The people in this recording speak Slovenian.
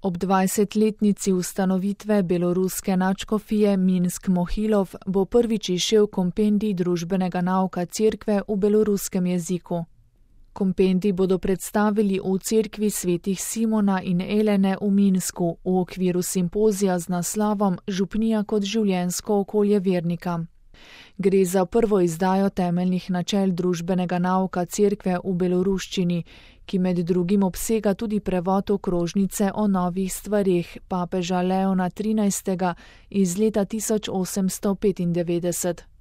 Ob 20-letnici ustanovitve beloruske nadškofije Minsk-Mohilov bo prvič izšel kompendij družbenega nauka cerkve v beloruskem jeziku. Kompendij bodo predstavili v cerkvi svetih Simona in Elene v Minsku v okviru simpozija z naslovom Župnija kot življenjsko okolje vernika. Gre za prvo izdajo temeljnih načel družbenega nauka cerkve v beloruščini, ki med drugim obsega tudi prevod okrožnice o novih stvareh papeža Leona XIII. Iz leta 1895.